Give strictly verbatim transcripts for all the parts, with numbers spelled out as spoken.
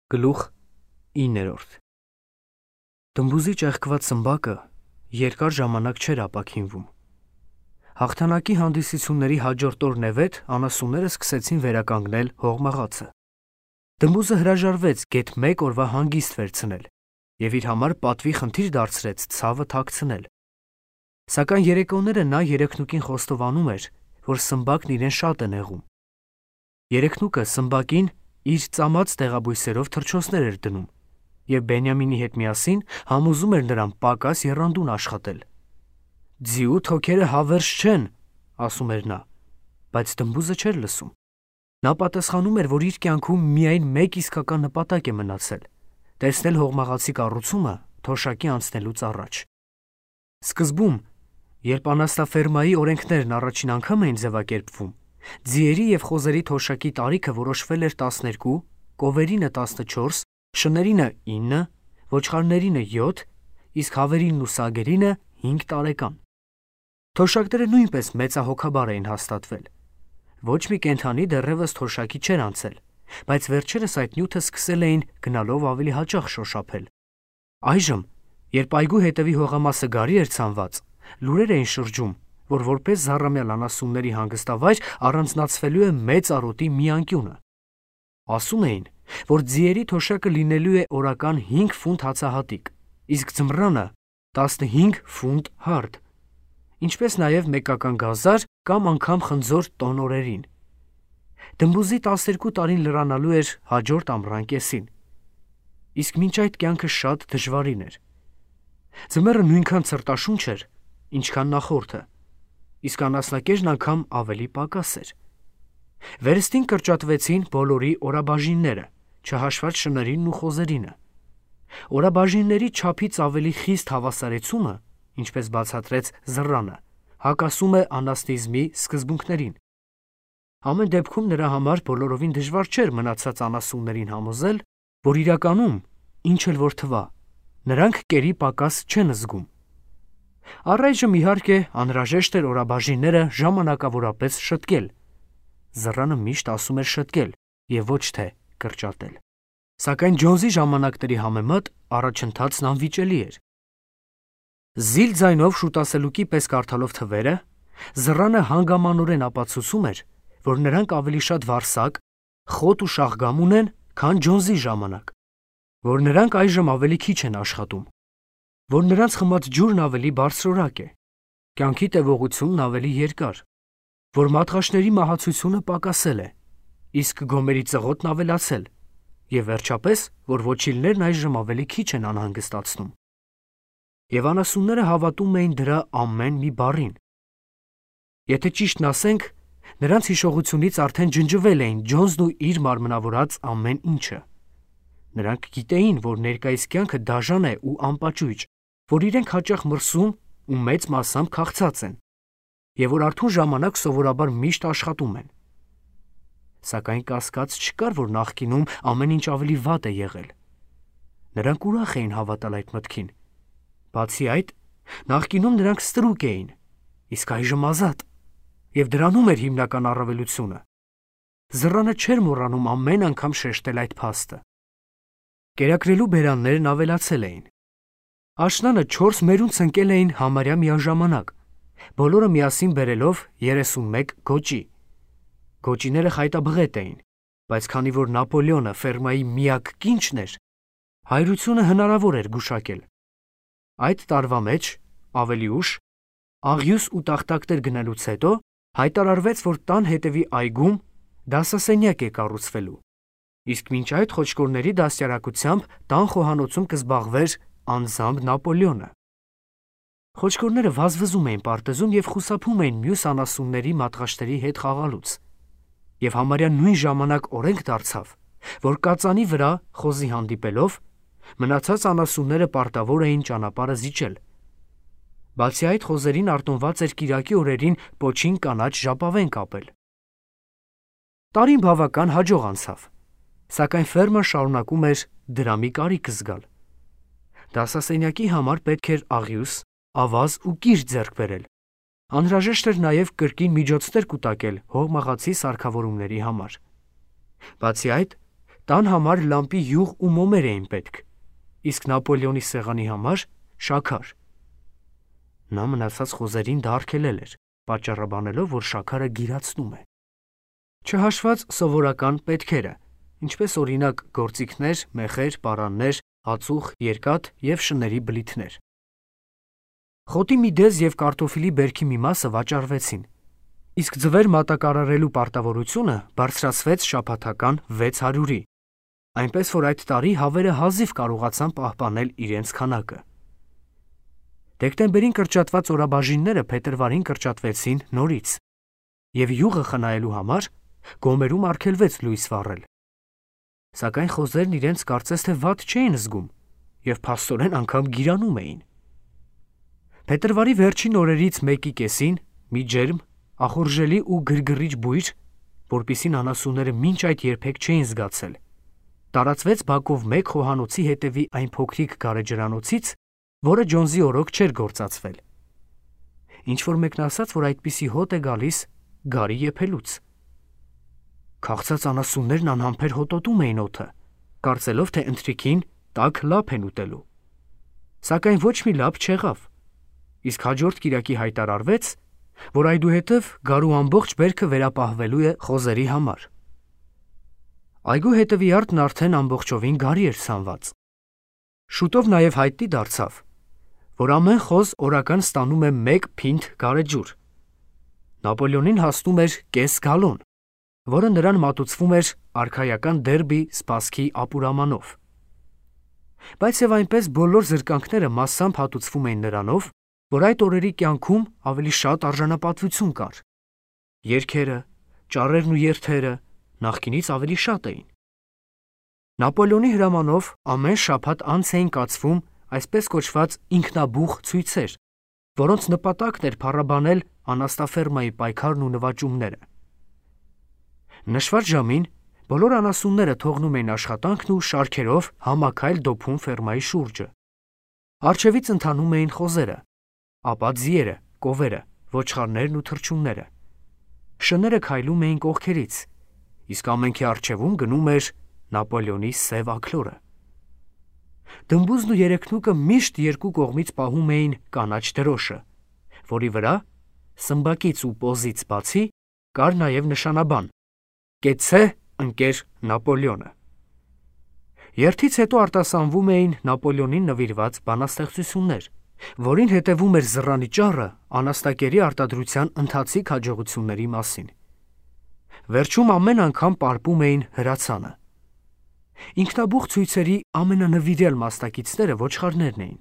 Գլուխ իններորդ Դմբուզի ճեղքված սմբակը երկար ժամանակ չէր ապաքինվում։ Հաղթանակի հանդիսությունների հաջորդ օրն է վետ անասունները սկսեցին վերականգնել հողմաղացը։ Դմբուզը հրաժարվեց գեթ մեկ օրվա հանգիստ վերցնել և իր համար պատվի խնդիր դարձրեց ցավը թաքցնել։ Սակայն երեկոները նա երեքնուկին խոստովանում էր, որ սմբակն իրեն շատ է նեղում։ Երեքնուկը սմբակին իր ծամած տեղաբույսերով թռչոցներ էր դնում և Բենյամինի հետ միասին համոզում էր նրան պակաս եռանդուն աշխատել։ «Ձիու թոքերը հավերժ չեն», ասում էր նա, բայց Դմբուզը չէր լսում։ Նա պատասխանում էր, որ իր կյանքում միայն մեկ իսկական նպատակ է մնացել՝ տեսնել հողմաղացի կառուցումը թոշակի անցնելուց առաջ։ Սկզբում, երբ անասնաֆերմայի օրենքներն առաջին անգամ էին ձևակերպվում, ձիերի և խոզերի թոշակի տարիքը որոշվել էր տասներկու, կովերինը տասնչորս, շներինը ինը, ոչխարներինը յոթ, իսկ հավերինն ու սագերինը հինգ տարեկան։ Թոշակները նույնպես մեծահոգաբար էին հաստատվել։ Ոչ մի կենդանի դեռևս թոշակի չէր անցել, բայց վերջերս այդ նյութը սկսել էին գնալով ավելի հաճախ շոշափել։ Այժմ, երբ այգու հետևի հողամասը գարի էր ցանված, լուրեր էին շրջում, որ որպես զառամյալ անասունների հանգստավայր առանձնացվելու է մեծ արոտի մի անկյունը։ Ասում էին, որ ձիերի թոշակը լինելու է օրական հինգ ֆունտ հացահատիկ, իսկ ձմռանը տասնհինգ ֆունտ հարդ, ինչպես նաև մեկական գազար կամ անգամ խնձոր տոն օրերին։ Դմբուզի տասներկու տարին լրանալու էր հաջորդ ամռան կեսին, իսկ մինչ այդ կյանքը շատ դժվարին էր։ Ձմեռը նույնքան ցրտաշունչ էր, ինչքան նախորդը, իսկ անասնակերն անգամ ավելի պակաս էր։ Վերստին կրճատվեցին բոլորի օրաբաժինները, չհաշված շներինն ու խոզերինը։ Օրաբաժինների չափից ավելի խիստ հավասարեցումը, ինչպես բացատրեց Զռանը, հակասում է անասնիզմի սկզբունքներին։ Ամեն դեպքում նրա համար բոլորովին դժվար չէր մնացած անասուններին համոզել, որ իրականում, ինչ էլ որ թվա, նրանք կերի պակաս չեն զգում։ Առայժմ, իհարկե, անհրաժեշտ էր օրաբաժինները ժամանակավորապես շտկել։ Զռանը միշտ ասում էր շտկել և ոչ թե կրճատել։ Սակայն Ջոնսի ժամանակների համեմատ առաջընթացն անվիճելի էր։ Զիլ ձայնով շուտասելուկի պես կարդալով թվերը, Զռանը հանգամանորեն ապացուցում էր, որ նրանք ավելի շատ վարսակ, խոտ ու շաղգամ ունեն, քան Ջոնսի ժամանակ, որ նրանք այժմ ավելի քիչ են աշխատում, որ նրանց խմած ջուրն ավելի բարձրորակ է, կյանքի տևողությունն ավելի երկար, որ մատղաշների մահացությունը պակասել է, իսկ գոմերի ծղոտն ավելացել, և վերջապես, որ ոչիլներն այժմ ավելի քիչ են անհանգստացնում։ Եվ անասունները հավատում էին դրա ամեն մի բառին։ Եթե ճիշտն ասենք, նրանց հիշողությունից արդեն ջնջվել էին Ջոնսն ու իր մարմնավորած ամեն ինչը։ Նրանք գիտեին, որ ներկայիս կյանքը դաժան է ու անպաճույճ, որ իրենք հաճախ մրսում ու մեծ մասամբ քաղցած են, և որ արթուն ժամանակ սովորաբար միշտ աշխատում են։ Սակայն կասկած չկար, որ նախկինում ամեն ինչ ավելի վատ է եղել։ Նրանք ուրախ էին հավատալ այդ մտքին։ Բացի այդ, նախկինում նրանք ստրուկ էին, իսկ այժմ ազատ, և դրանում էր հիմնական առավելությունը։ Զռանը չէր մոռանում ամեն անգամ շեշտել այդ փաստը։ Կերակրելու բերաններն ավելացել էին։ Աշնանը չորս մերուն ցնկել էին համարյա միաժամանակ, բոլորը միասին բերելով երեսունմեկ գոճի։ Գոճիները խայտաբղետ էին, բայց քանի որ Նապոլեոնը ֆերմայի միակ կինչն էր, հայրությունը հնարավոր էր գուշակել։ Այդ տարվա մեջ, ավելի ուշ, աղյուս ու տախտակներ գնելուց հետո, հայտարարվեց, որ տան հետևի այգում դասասենյակ է կառուցվելու, իսկ մինչ այդ խոչկորների դաստիարակությամբ տան խոհանոցում կզբաղվեր անձամբ Նապոլեոնը։ Խոչկորները վազվզում էին պարտեզում և խուսափում էին մյուս անասունների մատղաշների հետ խաղալուց, և համարյա նույն ժամանակ օրենք դարձավ, որ կածանի վրա խոզի հանդիպելով, մնացած անասունները պարտավոր էին ճանապարհը զիջել։ Բացի այդ, խոզերին արտոնված էր կիրակի օրերին պոչին կանաչ ժապավեն կապել։ Տարին բավական հաջող անցավ, սակայն ֆերման շարունակում էր դրամի կարիք զգալ։ Դասասենյակի համար պետք էր աղյուս, ավազ ու կիրճ ձեռք բերել։ Անհրաժեշտ էր նաև կրկին միջոցներ կուտակել հողմաղացի սարքավորումների համար։ Բացի այդ, Տան համար լամպի յուղ ու մոմեր էին պետք, իսկ Նապոլեոնի սեղանի համար շաքար։ Նա մնացած խոզերին դա արգելել էր, պատճառաբանելով, որ շաքարը գիրացնում է։ Չհաշված սովորական պետքերը, ինչպես օրինակ գործիքներ, մեխեր, պարաններ, ածուխ, երկաթ և շների բլիթներ։ Խոտի միդեզ և կարտոֆիլի բերքի մի մասը վաճառվեցին, իսկ ձվեր մատակարարելու պարտավորությունը բարձրացվեց շաբաթական վեց հարյուրի, այնպես որ այդ տարի հավերը հազիվ կարողացան պահպանել իրենց քանակը։ Դեկտեմբերին կրճատված օրաբաժինները փետրվարին կրճատվեցին նորից, և յուղը խնայելու համար գոմերում արգելվեց լույս վառել։ Սակայն խոզերն իրենց կարծես թե վատ չէին զգում և փաստորեն անգամ գիրանում էին։ Փետրվարի վերջին օրերից մեկի կեսին մի ջերմ, ախորժելի ու գրգռիչ բույր, որպիսին անասունները մինչ այդ երբեք չէին զգացել, տարածվեց բակով մեկ խոհանոցի հետևի այն փոքրիկ գարեջրանոցից, որը Ջոնսի օրոք չէր գործածվել։ Ինչ-որ մեկն ասաց, որ այդպիսի հոտ է գալիս գարի եփելուց։ Քաղցած անասուններն անհամբեր հոտոտում էին օդը, կարծելով, թե ընթրիքին տաք լափ են ուտելու։ Սակայն ոչ մի լափ չեղավ, իսկ հաջորդ կիրակի հայտարարվեց, որ այդուհետև գարու ամբողջ բերքը վերապահվելու է խոզերի համար։ Այգու հետևյարտն արդեն ամբողջովին գարի էր ցանված։ Շուտով նաև հայտնի դարձավ, որ ամեն խոզ օրական ստանում է մեկ փինթ գարեջուր։ Նապոլեոնին հասնում էր կես գալոն, որը նրան մատուցվում էր արքայական դերբի սպասքի ապուրամանով։ Բայց և այնպես բոլոր զրկանքները մասամբ հատուցվում էին նրանով, որ այդ օրերի կյանքում ավելի շատ արժանապատվություն կար։ Երգերը, ճառերն ու երթերը նախկինից ավելի շատ էին։ Նապոլեոնի հրամանով ամեն շաբաթ անց էին կացվում այսպես կոչված ինքնաբուխ ցույցեր, որոնց նպատակն էր փառաբանել անաստաֆերմայի պայքարն ու նվաճումները։ Նշված ժամին բոլոր անասունները թողնում էին աշխատանքն ու շարքերով համաքայլ դոփում ֆերմայի շուրջը։ Առջևից ընթանում էին խոզերը, ապա ձիերը, կովերը, ոչխարներն ու թռչունները։ Շները քայլում էին կողքերից, իսկ ամենքի առջևում գնում էր Նապոլեոնի սև աքլորը։ Դմբուզն ու երեքնուկը միշտ երկու կողմից պահում էին կանաչ դրոշը, որի վրա, սմբակից ու պոզից բացի, կար նաև նշանաբան՝ «Կեցցե, ընկեր Նապոլեոնը»։ Երթից հետո արտասանվում էին Նապոլեոնին նվիրված բանաստեղծություններ, որին հետևում էր զռանի ճառը անաստակերի արտադրության ընթացիկ հաջողությունների մասին։ Վերջում ամեն անգամ պարպում էին հրացանը։ Ինքնաբուխ ցույցերի ամենանվիրյալ մասնակիցները ոչխարներն էին,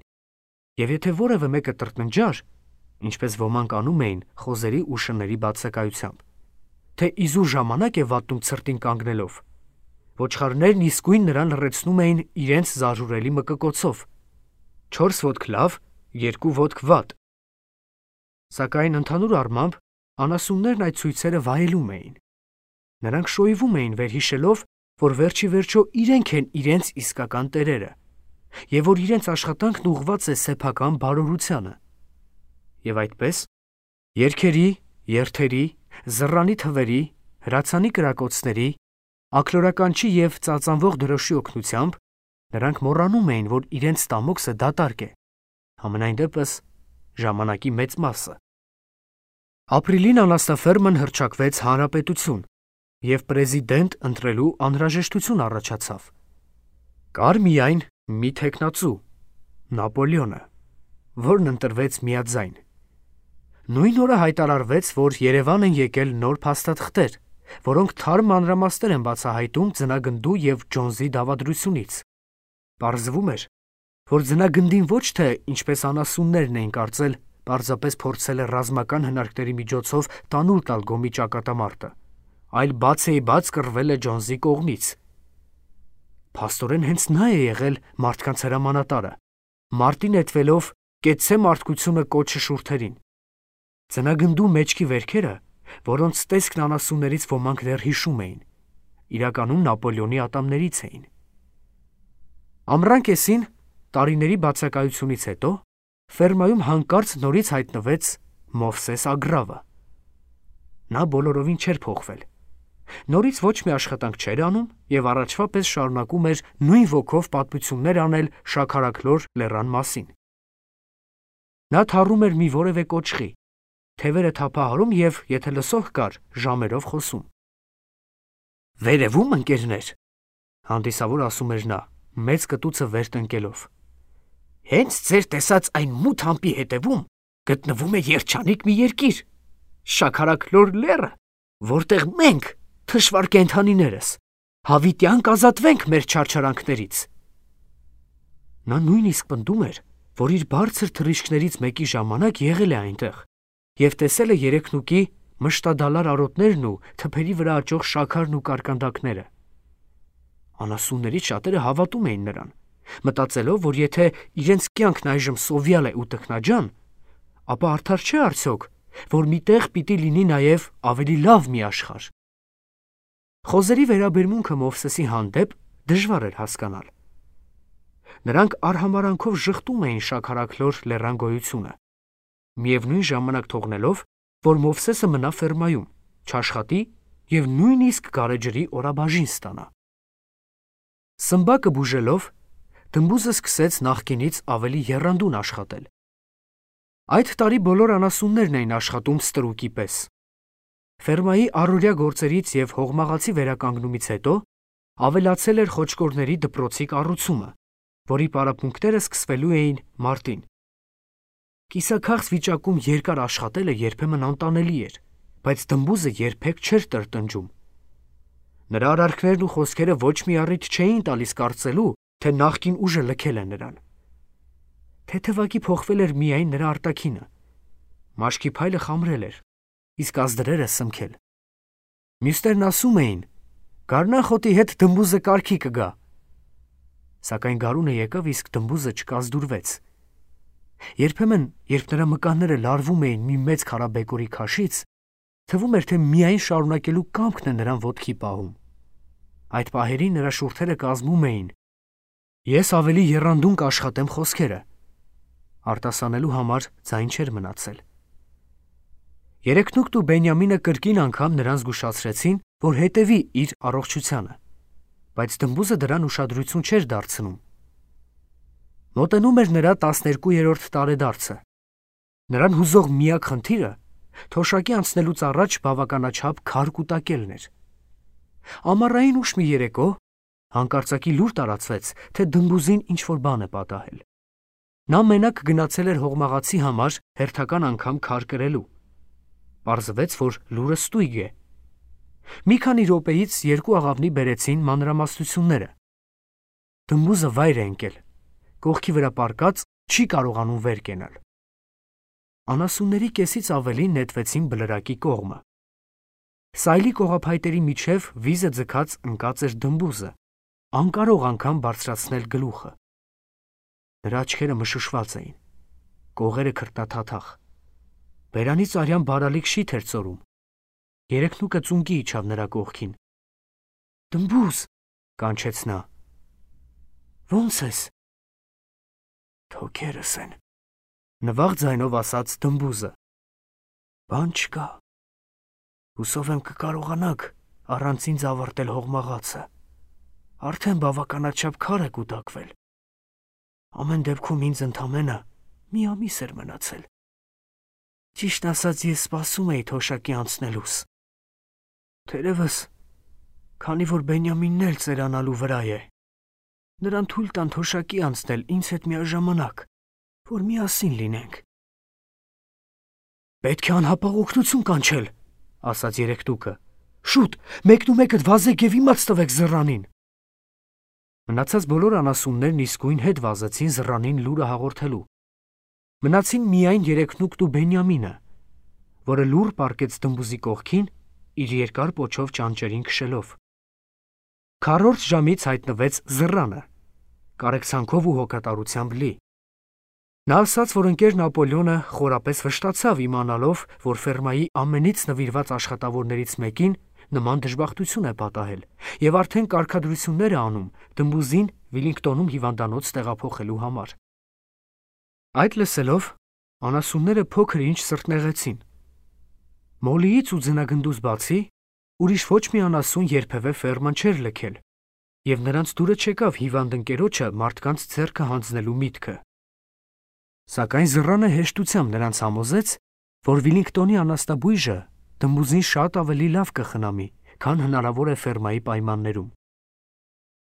և եթե որևէ մեկը տրտնջար, ինչպես ոմանք անում էին խոզերի ու շների բացակայությամբ, թե իզուր ժամանակ է վատնում ցրտին կանգնելով, ոչխարներն իսկույն նրան լռեցնում էին իրենց զարհուրելի մկկոցով. չորս ոտք լավ, երկու ոտք վատ։ Սակայն ընդհանուր առմամբ անասուններն այդ ցույցերը վայելում էին։ Նրանք շոյվում էին վերհիշելով, որ վերջի վերջո իրենք են իրենց իսկական տերերը, և որ իրենց աշխատանքն ուղղված է սեփական բարօրությանը։ Եվ այդպես, երգերի, երթերի, զռանի թվերի, հրացանի կրակոցների, աքլորականչի և ծածանվող դրոշի օգնությամբ նրանք մոռանում էին, որ իրենց ստամոքսը դատարկ է, համենայն դեպս ժամանակի մեծ մասը։ Ապրիլին անաստաֆերման հռչակվեց հանրապետություն, և պրեզիդենտ ընտրելու անհրաժեշտություն առաջացավ։ Կար միայն մի թեկնածու՝ Նապոլեոնը, որն ընտրվեց միաձայն։ Նույն օրը հայտարարվեց, որ Երևան են եկել նոր փաստաթղթեր, որոնք թարմ մանրամասներ են բացահայտում ձնագնդու և Ջոնսի դավադրությունից։ Պարզվում էր, որ ձնագնդին ոչ թե, ինչպես անասուններն էին կարծել, պարզապես փորձել է ռազմական հնարքների միջոցով տանուլ տալ գոմի ճակատամարտը, այլ բացեիբաց կռվել է Ջոնսի կողմից։ Փաստորեն հենց նա է եղել մարդկանց հրամանատարը, մարտի նետվելով «Կեցցե մարդկությունը» կոչը շուրթերին։ Ձնագնդու մեջքի վերքերը, որոնց տեսքն անասուններից ոմանք դեռ հիշում էին, իրականում Նապոլեոնի ատամներից էին։ Ամռան կեսին, տարիների բացակայությունից հետո, ֆերմայում հանկարծ նորից հայտնվեց Մովսես Ագրավը։ Նա բոլորովին չէր փոխվել, Նորից ոչ մի աշխատանք չէր անում եւ առաջվա պես շարունակում էր նույն ոգով պատմություններ անել շաքարաքլոր լեռան մասին։ Նա թառում էր մի որևէ կոճղի, թևերը թափահարում եւ եթե լսող կար, ժամերով խոսում։ Վերևում ընկերներ, հանդիսավոր ասում էր նա, մեծ կտուցը վեր տնկելով։ Հենց ձեր տեսած այն մութ համբի հետևում գտնվում է երջանիկ մի երկիր, շաքարաքլոր լեռը, որտեղ մենք, թշվառ կենդանիներս, հավիտյան կազատվենք մեր չարչարանքներից։ Նա նույնիսկ պնդում էր, որ իր բարձր թռիչքներից մեկի ժամանակ եղել է այնտեղ եւ տեսել է երեքնուկի մշտադալար արոտներն ու թփերի վրա աճող շաքարն ու կարկանդակները։ Անասուններից շատերը հավատում էին նրան, մտածելով, որ եթե իրենց կյանքն այժմ սովյալ է ու տքնաջան, ապա արդար չէ արդյոք, որ միտեղ պիտի լինի նաև ավելի լավ մի աշխարհ։ Խոզերի վերաբերմունքը Մովսեսի հանդեպ դժվար էր հասկանալ։ Նրանք արհամարանքով ժխտում էին շաքարաքլոր լեռան գոյությունը, միևնույն ժամանակ թողնելով, որ Մովսեսը մնա ֆերմայում, չաշխատի եւ նույնիսկ գարեջրի օրաբաժին ստանա։ Սմբակը բուժելով, դմբուզը սկսեց նախկինից ավելի եռանդուն աշխատել։ Այդ տարի բոլոր անասուններն էին աշխատում ստրուկի պես։ Ֆերմայի առօրյա գործերից եւ հողմաղացի վերականգնումից հետո ավելացել էր խոչկորների դպրոցի կառուցումը, որի պարապմունքները սկսվելու էին մարտին։ Կիսաքաղց վիճակում երկար աշխատելը երբեմն անտանելի էր, բայց դմբուզը երբեք չէր տրտնջում։ Նրա արարքներն ու խոսքերը ոչ մի առիթ չէին տալիս կարծելու, թե նախկին ուժը լքել է նրան։ Թեթևակի փոխվել էր միայն նրա արտաքինը։ Մաշկի փայլը խամրել էր, իսկ ազդրերը սմքել։ Մյուսներն ասում էին. «Գարնախոտի հետ դմբուզը կարգի կգա»։ Սակայն գարունը եկավ, իսկ դմբուզը չկազդուրվեց։ Երբեմն, երբ նրա մկանները լարվում էին մի մեծ քարաբեկորի քաշից, թվում էր, թե միայն շարունակելու կամքն է նրան ոտքի պահում։ Այդ պահերին նրա շուրթերը կազմում էին. «Ես ավելի եռանդուն կաշխատեմ խոսքերը»։ Արտասանելու համար ձայն չէր մնացել։ Երեքնուկտ ու Բենյամինը կրկին անգամ նրան զգուշացրեցին, որ հետևի իր առողջությանը, բայց դմբուզը դրան ուշադրություն չէր դարձնում։ Մոտենում էր նրա տասներկուերորդ տարեդարձը։ Նրան հուզող միակ խնդիրը թոշակի անցնելուց առաջ բավականաչափ քար կուտակելն էր։ Ամառային ուշ մի երեկո հանկարծակի լուր տարածվեց, թե դմբուզին ինչ-որ բան է պատահել։ Նա մենակ գնացել էր հողմաղացի համար հերթական անգամ քար կրելու։ Պարզվեց, որ լուրը ստույգ է։ Մի քանի րոպեից երկու աղավնի բերեցին մանրամասնությունները։ Դմբուզը վայր է ընկել, կողքի վրա պառկած չի կարողանում վեր կենալ։ Անասունների կեսից ավելին նետվեցին բլրակի կողմը։ Սայլի կողափայտերի միջև վիզը ձգած ընկած էր դմբուզը, անկարող անգամ բարձրացնել գլուխը։ Նրա աչքերը մշուշված էին, կողերը քրտնաթաթախ։ Բերանից արյան բարալիկ շիթ էր ծորում։ Երեքնուկը ծունկի իջավ նրա կողքին։ «Դմբուզ», կանչեց նա։ «Ո՞նց ես»։ «Թոքերս են», նվաղ ձայնով ասաց դմբուզը։ «Բան չկա։ Հուսով եմ կկարողանաք առանց ինձ ավարտել հողմաղացը։ Արդեն բավականաչափ քար է կուտակվել։ Ամեն դեպքում ինձ ընդամենը մի ամիս էր մնացել։ Ճիշտ ասած, ես սպասում էի թոշակի անցնելուս։ Թերևս, քանի որ Բենյամինն էլ ծերանալու վրա է, նրան թույլ տան թոշակի անցնել ինձ հետ միաժամանակ, որ միասին լինենք»։ «Պետք է անհապաղ օգնություն կանչել», ասաց երեքտուկը։ «Շուտ, մեկնումեկդ վազեք եւ իմաց տվեք զռանին»։ Մնացած բոլոր անասուններն իսկույն հետ վազեցին զռանին լուրը հաղորդելու։ Մնացին միայն երեքնուկտ ու Բենյամինը, որը լուր պառկեց դմբուզի կողքին, իր երկար պոչով ճանճերին քշելով։ Քառորդ ժամից հայտնվեց զռանը, կարեկցանքով ու հոգատարությամբ լի։ Նա ասաց, որ ընկերն Ապոլյոնը խորապես վշտացավ իմանալով, որ ֆերմայի ամենից նվիրված աշխատավորներից մեկին նման դժբախտություն է պատահել եւ արդեն կարգադրություններ է անում դմբուզին Վիլինգտոնում հիվանդանոց տեղափոխելու համար։ Այդ լսելով անասունները փոքր ինչ սրտնեղեցին։ Մոլիից ու ձնագնդուց բացի Ուրիշ ոչ մի անասուն երբևէ ֆերման չէր լքել, եւ նրանց դուրը չեկավ հիվանդ ընկերոջը մարդկանց ձեռքը հանձնելու միտքը։ Սակայն զռանը հեշտությամբ նրանց համոզեց, որ Վիլինգտոնի անաստաբույժը դմբուզին շատ ավելի լավ կխնամի, քան հնարավոր է ֆերմայի պայմաններում։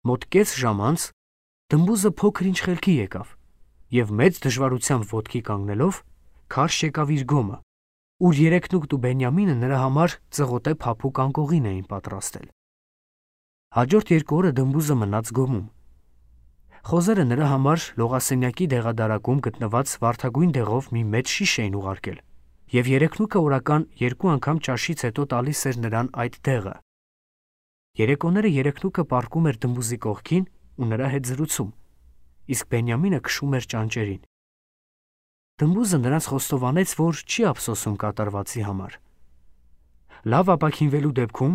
Մոտ կես ժամ անց դմբուզը փոքր-ինչ խելքի եկավ եւ մեծ դժվարությամբ ոտքի կանգնելով քարշ եկավ իր գոմը, ուր Երեքնուկտ ու Բենյամինը նրա համար ծղոտե փափուկ անկողին էին պատրաստել։ Հաջորդ երկու օրը դմբուզը մնաց գոմում։ Խոզերը նրա համար լողասենյակի դեղադարակում գտնված վարդագույն դեղով մի մեծ շիշ էին ուղարկել, եւ Երեքնուկը օրական երկու անգամ ճաշից հետո տալիս էր նրան այդ դեղը։ Երեկոները Երեքնուկը պառկում էր դմբուզի կողքին ու նրա հետ զրուցում, իսկ Բենյամինը քշում էր ճանճերին։ Դմբուզը նրանց խոստովանեց, որ չի ափսոսում կատարվածի համար։ Լավ ապաքինվելու դեպքում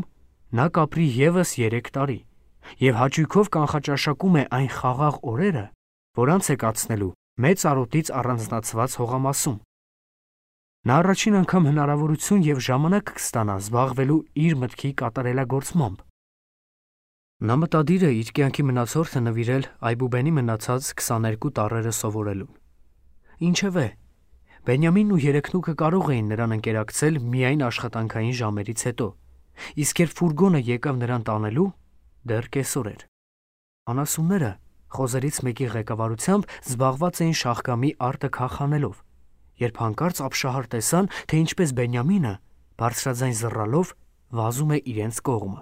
նա կապրի եւս երեք տարի եւ հաճույքով կանխաճաշակում է այն խաղաղ օրերը, որոնց է կացնելու մեծ արոտից առանձնացված հողամասում։ Նա առաջին անգամ հնարավորություն եւ ժամանակ կստանա զբաղվելու իր մտքի կատարելագործմամբ։ Նա մտադիր է իր կյանքի մնացորդը նվիրել Այբուբենի մնացած քսաներկու տառերը սովորելուն։ Ինչևէ, Բենյամինն ու Երեքնուկը կարող էին նրան ընկերակցել միայն աշխատանքային ժամերից հետո, իսկ երբ ֆուրգոնը եկավ նրան տանելու, դեռ կեսօր էր։ Անասունները խոզերից մեկի ղեկավարությամբ զբաղված էին շաղկամի արտը քախանելով, երբ հանկարծ ապշահար տեսան, թե ինչպես Բենյամինը բարձրաձայն զռալով վազում է իրենց կողմը։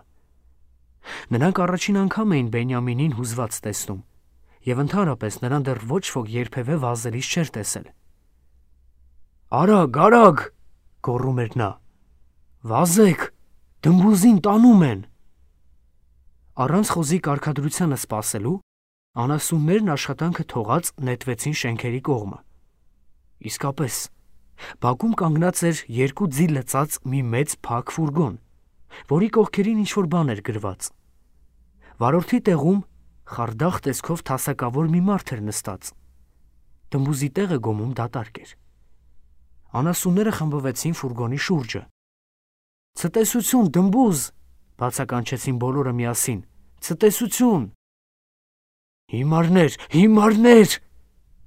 Նրանք առաջին անգամ էին Բենյամինին հուզված տեսնում, եւ ընդհանրապես նրան դեռ ոչ ոք երբևէ վազելիս չէր տեսել։ «Արագ, արագ!» գոռում էր նա։ «Վազեք, դմբուզին տանում են»։ Առանց խոզի կարգադրությանը սպասելու, անասուններն աշխատանքը թողած նետվեցին շենքերի կողմը։ Իսկապես, բակում կանգնած էր երկու ձի լծած մի մեծ փակ ֆուրգոն, որի կողքերին ինչ-որ բան էր գրված։ Վարորդի տեղում խարդախ տեսքով թասակավոր մի մարդ էր նստած։ Դմբուզի տեղը գոմում դատարկ էր։ Անասունները խմբվեցին ֆուրգոնի շուրջը։ «Ցտեսություն, դմբուզ!» բացականչեցին բոլորը միասին։ «Ցտեսություն!» «Հիմարներ, հիմարներ!»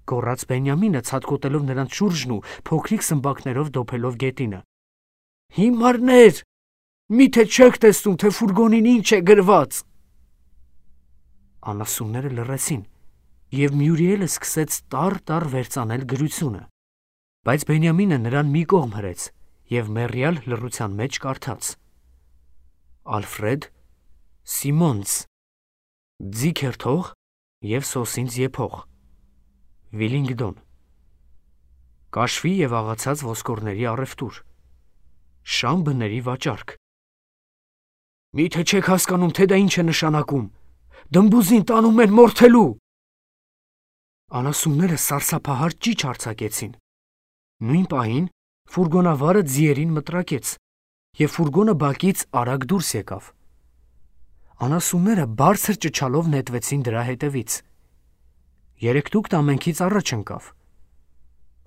գոռաց Բենյամինը, ցատկոտելով նրանց շուրջն ու փոքրիկ սմբակներով դոփելով գետինը։ «Հիմարներ! Միթե չեք տեսնում, թե ֆուրգոնին ինչ է գրված»։ Անասունները լռեցին, եւ Մյուրիելը սկսեց տառ-տառ վերծանել գրությունը, բայց Բենյամինը նրան մի կողմ հրեց եւ մեռյալ լռության մեջ կարդաց. Ալֆրեդ Սիմոնց, ձիքերթող եւ սոսինձ եփող, Վիլինգդոն, կաշվի եւ աղացած ոսկորների առևտուր, շան բների վաճառք։ «Միթե չեք հասկանում, թե դա ինչ է նշանակում, դմբուզին տանում են մորթելու»։ Անասունները սարսափահար ճիչ արձակեցին։ Նույն պահին ֆուրգոնավարը ձիերին մտրակեց, եւ ֆուրգոնը բակից արագ դուրս եկավ։ Անասունները բարձր ճչալով նետվեցին դրա հետևից։ Երեքնուկտ ամենքից առաջ ընկավ։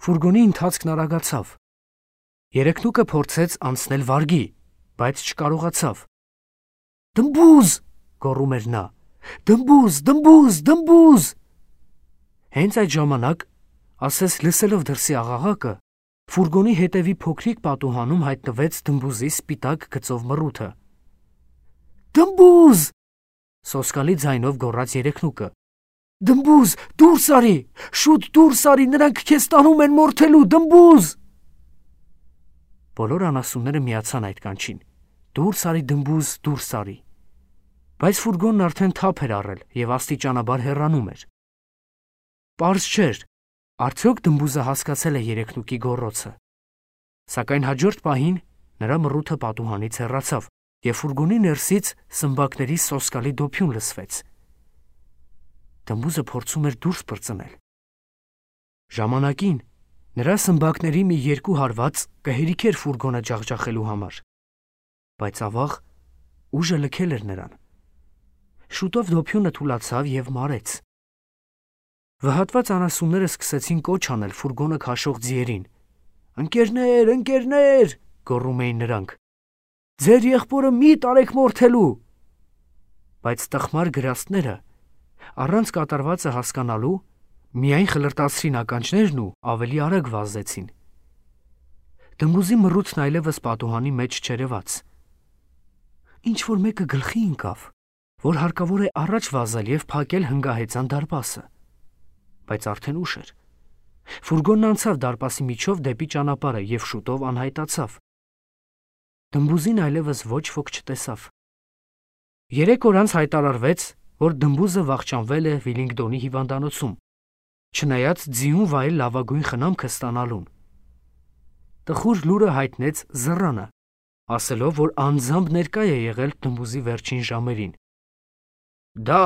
Ֆուրգոնի ընթացքն արագացավ։ Երեքնուկը փորձեց անցնել վարգի, բայց չկարողացավ։ «Դմբուզ!» գոռում էր նա։ «Դմբուզ, դմբուզ, դմբուզ»։ Հենց այդ ժամանակ, ասես լսելով դրսի աղաղակը, ֆուրգոնի հետևի փոքրիկ պատուհանում հայտնվեց դմբուզի սպիտակ գծով մռութը։ «Դմբուզ!» սոսկալի ձայնով գոռաց Երեքնուկը։ «Դմբուզ, դուրս արի, շուտ դուրս արի, նրանք քեզ տանում են մորթելու, դմբուզ»։ Բոլոր անասունները միացան այդ կանչին. «Դուրս արի, դմբուզ, դուրս արի»։ Բայց ֆուրգոնն արդեն թափ էր առել եւ աստիճանաբար հեռանում էր։ Պարզ չէր, արդյոք դմբուզը հասկացել է Երեքնուկի գոռոցը։ Սակայն հաջորդ պահին նրա մռութը պատուհանից հեռացավ, եւ ֆուրգոնի ներսից սմբակների սոսկալի դոփյուն լսվեց։ Դմբուզը փորձում էր դուրս պրծնել։ Ժամանակին նրա սմբակների մի երկու հարված կհերիքեր ֆուրգոնը ջախջախելու համար, բայց ավաղ ուժը լքել էր նրան։ Շուտով դոփյունը թուլացավ եւ մարեց։ Վհատված անասունները սկսեցին կոչ անել ֆուրգոնը քաշող ձիերին։ «Ընկերներ, ընկերներ», գոռում էին նրանք։ Ձեր եղբորը մի տարեք մորթելու։ Բայց տխմար գրաստները առանց կատարվածը հասկանալու միայն խլրտացրին ականջներն ու ավելի արագ վազեցին։ Դմբուզի մռութն այլևս պատուհանի մեջ չերևաց։ Ինչ որ մեկը գլխի ընկավ, որ հարկավոր է առաջ վազել եւ փակել հնգահեծան դարպասը, բայց արդեն ուշ էր։ Ֆուրգոնն անցավ դարպասի միջով դեպի ճանապարհը եւ շուտով անհայտացավ։ Դմբուզին այլևս ոչ ոք չտեսավ։ Երեք օր անց հայտարարվեց, որ դմբուզը վախճանվել է Վիլինգդոնի հիվանդանոցում, չնայած ձիուն վայել լավագույն խնամքը ստանալուն։ Տխուր լուրը հայտնեց Զռանը, ասելով, որ անձամբ ներկա է եղել դմբուզի վերջին ժամերին։ Դա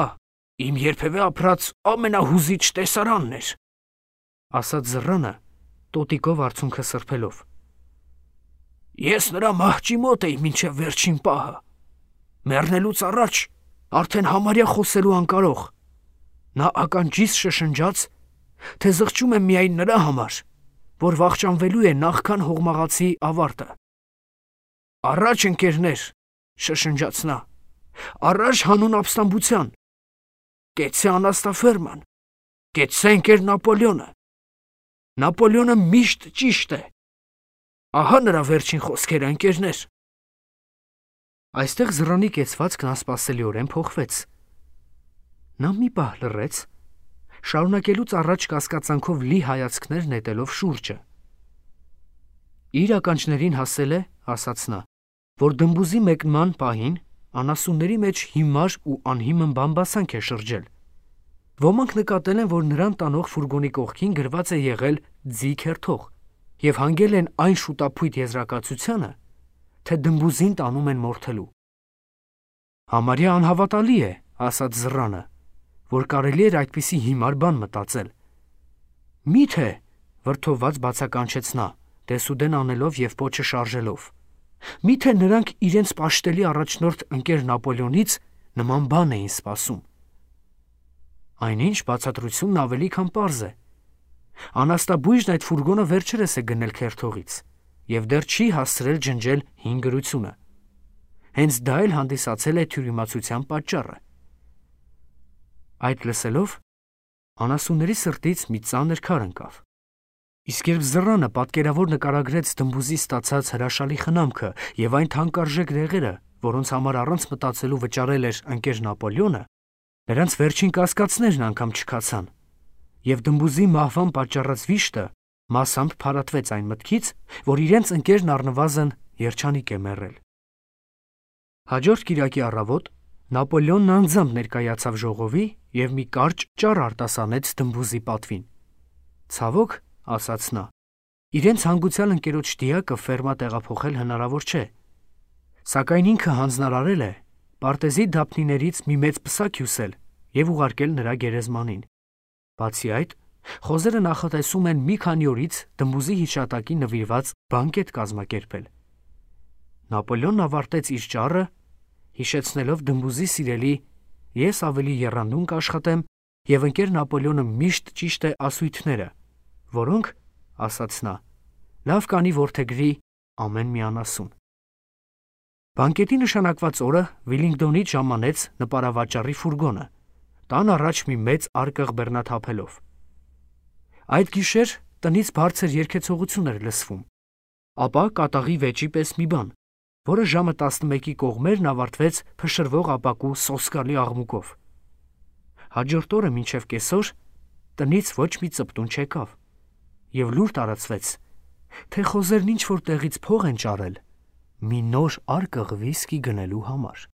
իմ երբևէ ապրած ամենահուզիչ տեսարանն էր, ասաց Զռանը, տոտիկով արցունքը սրբելով։ Ես նրա մահճի մոտ էի մինչև վերջին պահը։ Մեռնելուց առաջ արդեն համարյա խոսելու անկարող։ Նա ականջիս շշնջաց, թե զղջում եմ միայն նրա համար, որ վախճանվելու է նախքան հողմաղացի ավարտը։ Առաջ ընկերներ, շշնջաց նա, առաջ հանուն ապստամբության, կեցցե անաստաֆերման, կեցցե ընկեր Նապոլեոնը։ Նապոլեոնը միշտ ճիշտ է։ Ահա նրա վերջին խոսքերը, ընկերներ։ Այստեղ Զռանի կեցվածքն անսպասելիորեն փոխվեց։ Նա մի պահ լռեց, շարունակելուց առաջ կասկածանքով լի հայացքներ նետելով շուրջը։ Իր ականջներին հասել է, ասաց նա, որ դմբուզի մեկնման պահին անասունների մեջ հիմար ու անհիմն բամբասանք է շրջել։ Ոմանք նկատել են, որ նրան տանող ֆուրգոնի կողքին գրված է եղել «Ձի քերթող» եւ հանգել են այն շուտափույթ եզրակացությանը, թե դմբուզին տանում են մորթելու։ Համարյա անհավատալի է, ասաց Զռանը, որ կարելի էր այդպիսի հիմար բան մտածել։ Միթե, վրդովված բացականչեց նա, դեսուդեն անելով եւ պոչը շարժելով։ Միթե նրանք իրենց պաշտելի առաջնորդ ընկեր Նապոլեոնից նման բան էին սպասում։ Այնինչ բացատրությունն ավելի քան պարզ է։ Անաստաբույժն այդ ֆուրգոնը վերջերս է գնել քերթողից եւ դեռ չի հասցրել ջնջել հին գրությունը։ Հենց դա էլ հանդիսացել է թյուրիմացության պատճառը։ Այդ լսելով անասունների սրտից մի ծանր քար ընկավ։ Իսկ երբ Զռանը պատկերավոր նկարագրեց դմբուզի ստացած հրաշալի խնամքը եւ այն թանկարժեք դեղերը, որոնց համար առանց մտածելու վճարել էր ընկեր Նապոլեոնը, նրանց վերջին կասկածներն անգամ չքացան, եւ դմբուզի մահվան պատճառած վիշտը մասամբ փարատվեց այն մտքից, որ իրենց ընկերն առնվազն երջանիկ է մեռել։ Հաջորդ կիրակի առավոտ Նապոլեոնն անձամբ ներկայացավ ժողովի եւ մի կարճ ճառ արտասանեց դմբուզի պատվին։ Ցավոք, ասաց նա, իրենց հանգուցյալ ընկերոջ դիակը ֆերմա տեղափոխել հնարավոր չէ, սակայն ինքը հանձնարարել է պարտեզի դափնիներից մի մեծ պսակ հյուսել եւ ուղարկել նրա գերեզմանին։ Բացի այդ, խոզերը նախատեսում են մի քանի օրից դմբուզի հիշատակին նվիրված բանկետ կազմակերպել։ Նապոլեոնն ավարտեց իր ճառը, հիշեցնելով դմբուզի սիրելի «Ես ավելի եռանդուն կաշխատեմ» եւ ընկեր Նապոլեոնը միշտ ճիշտ է ասույթները, որոնք, ասաց նա, լավ կանի որդեգրի ամեն մի անասուն։ Բանկետի նշանակված օրը Վիլինգդոնից ժամանեց նպարավաճառի ֆուրգոնը, տան առաջ մի մեծ արկղ բեռնաթափելով։ Այդ գիշեր տնից բարձր երգեցողություն էր լսվում, ապա կատաղի վեճի պես մի բան, որը ժամը տասնմեկի կողմերն ավարտվեց փշրվող ապակու սոսկալի աղմուկով։ Հաջորդ օրը մինչև կեսօր տնից ոչ մի ծպտուն չեկավ, եւ լուր տարածվեց, թե խոզերն ինչ որ տեղից փող են ճարել մի նոր արկղ վիսկի գնելու համար։